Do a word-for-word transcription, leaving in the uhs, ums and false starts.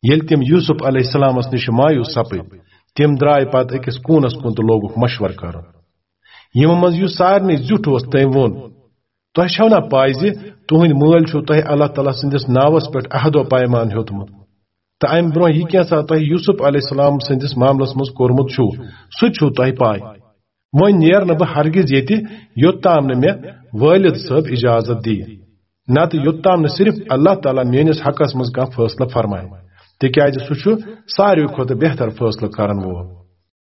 ییٚلہِ تِم یوسف علیہ السلامس نِش مایوس سپٕدۍ، تِم درٛاے پتہٕ أکِس کوٗنس کُن تہٕ لوگُکھ مشورٕ کرُن۔ یِمو منٛز یُس سارنٕے زیُٹھ اوس، تٔمۍ ووٚن، "تۄہہِ چھو نا پاے زِ تُہنٛدۍ مٲلۍ چھُو تۄہہِ اللہ تعالیٰ سٕنٛدِس ناوس پٮ۪ٹھ عہد و پیمان ہیوٚتمُت؟ تہٕ امہِ برونٛہہ یہِ کینٛژھا تۄہہِ یوسف علیہ السلام سٕنٛدِس معاملس منٛز کوٚرمُت چھُو، سُہ تہِ چھُو تۄہہِ پاے۔ وۄنۍ نیر نہٕ بہٕ ہرگز ییٚتہِ، یوٚت تام نہٕ مےٚ والد صٲب اجازت دِیہِ، نتہٕ یوٚت تام نہٕ صرف اللہ تعالیٰ میٲنِس حقس منٛز کانٛہہ فٲصلہٕ فرمایہِ، تِکیازِ سُہ چھُ ساروی کھۄتہٕ بہتر فٲصلہٕ کرن وول۔"